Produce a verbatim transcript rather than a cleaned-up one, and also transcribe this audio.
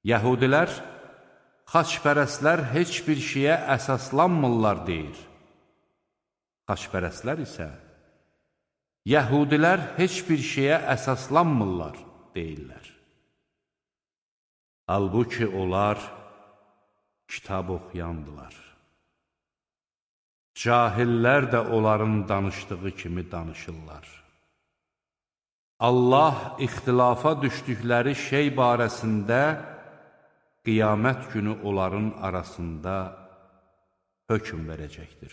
Yəhudilər, xaçpərəstlər heç bir şeyə əsaslanmırlar deyir. Xaçpərəstlər isə, Yəhudilər heç bir şeyə əsaslanmırlar deyirlər. Halbuki onlar kitab oxuyandılar. Cahillər də onların danışdığı kimi danışırlar. Allah ixtilafa düşdükləri şey barəsində qiyamət günü onların arasında hökm verəcəkdir.